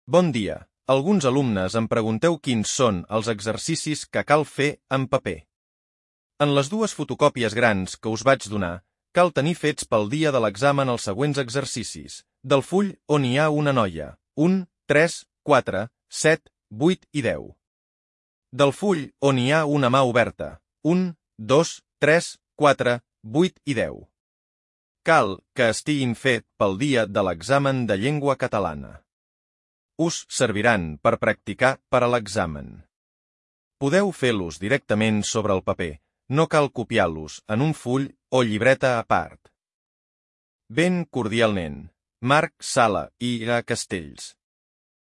Bon dia. Alguns alumnes em pregunteu quins són els exercicis que cal fer en paper. En les dues fotocòpies grans que us vaig donar, cal tenir fets pel dia de l'examen els següents exercicis. Del full on hi ha una noia, 1, 3, 4, 7, 8 i 10. Del full on hi ha una mà oberta, 1, 2, 3, 4, 8 i 10. Cal que estiguin fet pel dia de l'examen de llengua catalana. Us serviran per practicar per a l'examen. Podeu fer-los directament sobre el paper, no cal copiar-los en un full o llibreta a part. Ben cordialment, Marc Sala i A. Castells.